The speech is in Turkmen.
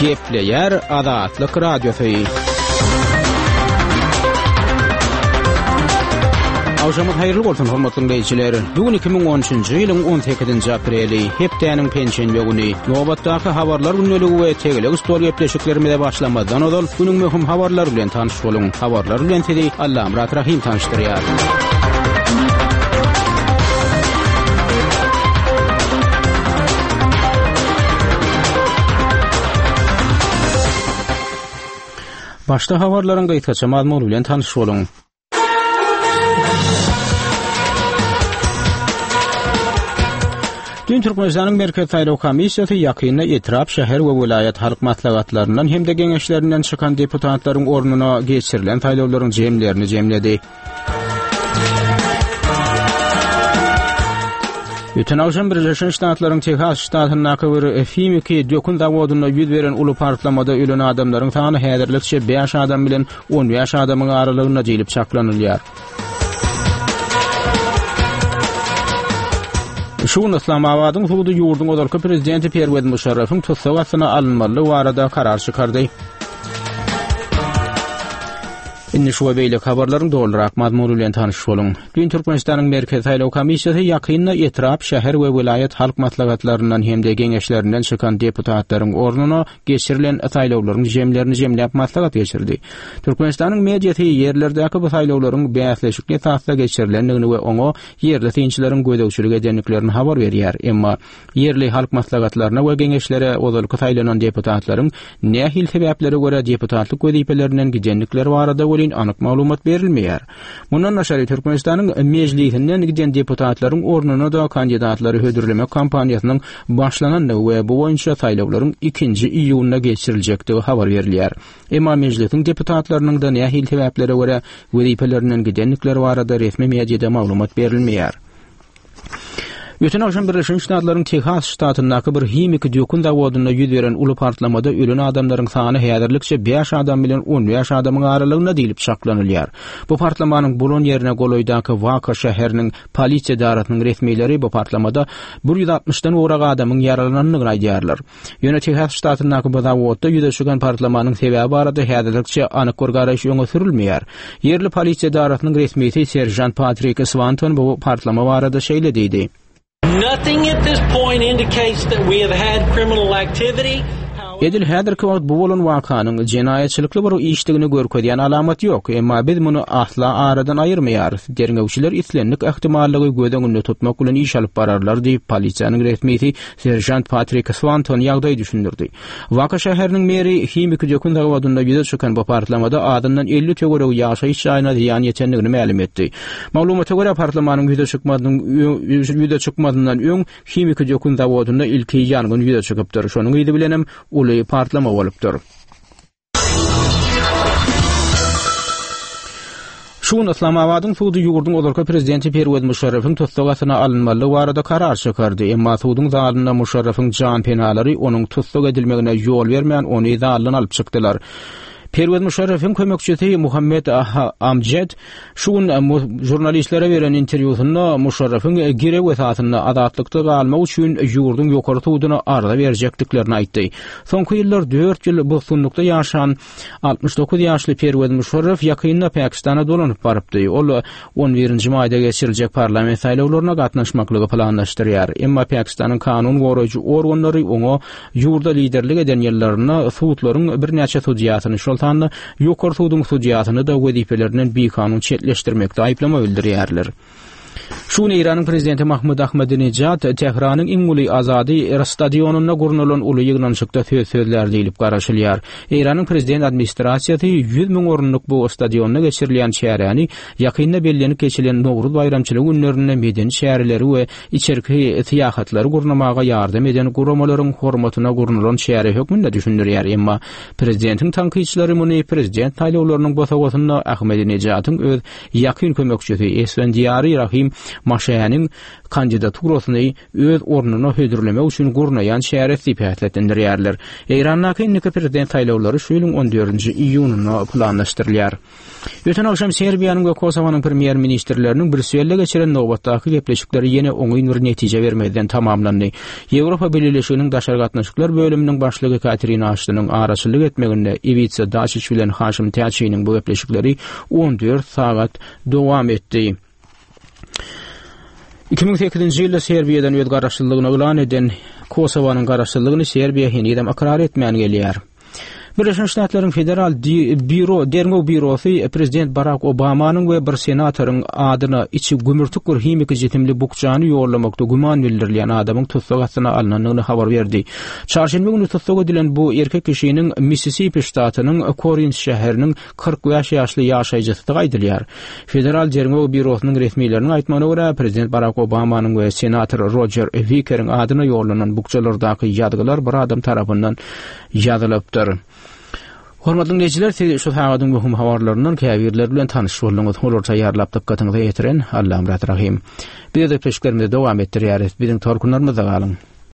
Gepleýär Azatlyk Radiosy. Agşamyňyz haýyrly bolsun, hormatly diňleýjiler. Bu gün 2013-nji ýylyň 18-nji apreli, hepdäniň penşenbe güni. Nobatdaky habarlar gündeligi we tegelek stol gepleşiklerimize başlamazdan ozal, günüň möhüm habarlary bilen tanyş boluň. Habarlar bilen sizi Allamyrat Rahym tanyşdyrýar. Başda habarlaryň gysgaça mazmuny bilen tanyş boluň. Düýn Türkmenistanyň Merkezi saýlaw komissiýasy ýakynda etrap, şäher we welaýat halk maslahatlaryndan hem-de geňeşlerinden çykan deputatlaryň ornuna geçirilen saýlawlaryň jemlerini jemledi. Öten agşam Birleşen Ştatlaryň Tehas ştatyndaky bir himiki dökün zawodynda ýüz beren uly partlamada ölen adamlaryň sany häzirlikçe bäş adam bilen 15 adamyň aralygynda diýlip çaklanylýar. Şu gün Yslamabadyň sudy ýurduň ozalky prezidenti Perwez Muşarrafyň tussag astyna alynmalydygy barada karar çykardy. Indi şu we beýleki habarlaryň dolurak mazmuny bilen tanyş boluň. Düýn Türkmenistanyň Merkezi saýlaw komissiýasy ýakynda etrap, şäher we welaýat halk maslahatlaryndan hem-de geňeşlerinden çykan deputatlaryň ornuna geçirilen saýlawlaryň jemlerini jemläp maslahat geçirdi. Türkmenistanyň mediasy ýerlerdäki bu saýlawlaryň bäsleşikli esasda geçirilendigini we oňa ýerli synçylaryň gözegçilik edendiklerini habar berýär. Emma ýerli halk maslahatlaryna we geňeşlere ozalky saýlanan deputatlaryň nähili sebäplere görä deputatlyk wezipelerinden gidendikleri barada welin anyk maglumat berilmeýär. Mundan daşary, Türkmenistanyň Mejlisinden giden deputatlaryň ornuna-da kandidatlary hödürlemek kampaniýasynyň başlanandygy we bu boýunça saýlawlaryň ikinji iýunda geçiriljekdigi habar berilýär. Emma Mejlisiň deputatlarynyň-da nähili sebäplere görä wezipelerinden gidendikleri barada resmi mediada maglumat berilmeýär. Öten agşam Birleşen Ştatlaryň Tehas ştatyndaky bir himiki dökün zawodynda ýüz beren uly partlamada ölen adamlaryň sany häzirlikçe bäş adam bilen 15 adamyň aralygynda diýlip çaklanylýar. Bu partlamanyň bolan ýerine golaýdaky Wako şäheriniň polisiýa edarasynyň resmileri bu partlamada 160-dan gowrak adamyň ýaralanandygyny aýdýarlar. Ýöne Tehas ştatyndaky bu zawodda ýüze çykan partlamanyň sebäbi barada häzirlikçe anyk bir garaýyş öňe sürülmeýär. Ýerli polisiýa edarasynyň resmisi seržant Patrik Swanton bu partlama barada şeýle diýdi. Nothing at this point indicates that we have had criminal activity. Edil häzirki wagt bu bolan wakanyň jenaýatçylykly bir işdigini görkezýän alamat ýok, emma biz muny asla aradan aýyrmaýarys. Derňewçiler islendik ähtimallygy göz öňünde tutmak bilen iş alyp bararlar diýip, polisiýanyň resmisi Seržant Patrik Swanton ýagdaýy düşündirdi. Waka şäheriniň meri himiki dökün zawodynda ýüze çykan bu partlamada azyndan 50 töweregi ýaşaýyş jaýyna zyýan ýetendigini mälim etdi. Maglumata görä, partlamanyň ýüze çykmazynyň ýüze çykmazyndan öň himiki dökün zawodynda ilki ýangyn ýüze çykypdyr. Şonuň yzy bilenem uly partlama bolupdyr. Şu gün Yslamabadyň sudy ýurduň ozalky prezidenti Perwez Muşarrafyň tussag astyna alynmalydygy barada karar çykardy. Emma suduň zalynda Muşarrafyň janpenalary onuň tussag edilmegine ýol bermän, ony zaldan alyp çykdylar. Perwez Muşarrafyň kömekçisi Muhammed Amjed şu gün žurnalistlere beren interwýusynda Muşarrafyň girew esasynda azatlykda galmak üçin ýurduň ýokary suduna arza berjekdiklerini aýtdy. Soňky ýyllar dört ýyl bosgunlykda ýaşan 69 ýaşly Perwez Muşarraf ýakynda Pakistana dolanyp barypdy. Ol on birinji maýda geçiriljek parlament saýlawlaryna gatnaşmaklygy planlaşdyrýar. Emma Pakistanyň kanun goraýjy organlary oňa ýurda liderlik eden ýyllarynda sudlaryň birnäçe sudýasyny, şol sanda Ýokary suduň sudýasyny-da wezipelerinden bikanun çetleşdirmekde aýyplama bildirýärler. Şu gün Eýranyň prezidenti Mahmud Ahmadinejad Tähranyň iň uly Azadi stadionynda gurnalan uly ýygnanyşykda söz sözlär diýlip garaşylýar. Eýranyň prezident administrasiýasy 100 müň orunlyk bu stadionda geçirilýän çäräni ýakynda bellenip geçilen Nowruz baýramçylygy günlerinde medeni çäreleri we içerki syýahatlary gurnamaga ýardam eden guramalaryň hormatyna gurnalan çäre hökmünde düşündirýär. Emma prezidentiň tankytçylary muny prezident saýlawlarynyň bosagasynda Ahmedinejadyň öz Ýakyn kömekçisi Esfendiýary Rahim. Maşäniň kandidaturasyny öz ornuna hödürlemek üçin gurnaýan çäresi diýip häsiýetlendirýärler. Eýrandaky indiki prezident saýlawlary şu ýylyň on dördünji iýunynda planlaşdyrylýar. Öten agşam Serbiýanyň we Kosowanyň premýer-ministrleriniň Brýusselde geçiren nobatdaky gepleşikleri ýene oňyn bir netije bermezden tamamlandy. Ýewropa Bileleşiginiň daşary gatnaşyklar bölüminiň başlygy Katerina Aştonyň araçyllyk etmeginde Iwica Daçiç bilen Haşim Täçiniň bu gepleşikleri 14 sagat dowam etdi. 2008-nji ýylda Serbiýadan öz garaşsyzlygyny yglan eden Kosowanyň garaşsyzlygyny Serbiýa henizem ykrar etmän gelýär. Birleşen Ştatlaryň Federal Býuro, Derňew býurosy prezident Barak Obamanyň we bir senatoryň adyna içi gümürtik bir himiki jisimli bukjany ýollamakda güman bildirilýän adamyň tussag astyna alnandygyny habar berdi. Çarşenbe güni tussag edilen bu erkek kişiniň Missisipi ştatynyň Korint şäheriniň 45 ýaşly ýaşaýjysydygy aýdylýar. Federal Derňew býurosynyň resmileriniň aýtmagyna görä, prezident Barak Obamanyň we senator Rojer Wikeriň adyna ýollanan bukjalardaky ýazgylar bir adam tarapyndan ýazylypdyr. Hormatly diňleýjiler, siz şu sagadyň möhüm habarlaryndan käbirleri bilen tanyş bolduňyz. Olary taýýarlap dykgatyňyza ýetiren Allamyrat Rahym. Biz gepleşiklerimizi dowam etdirýäris. Biziň tolkunlarymyzda galyň.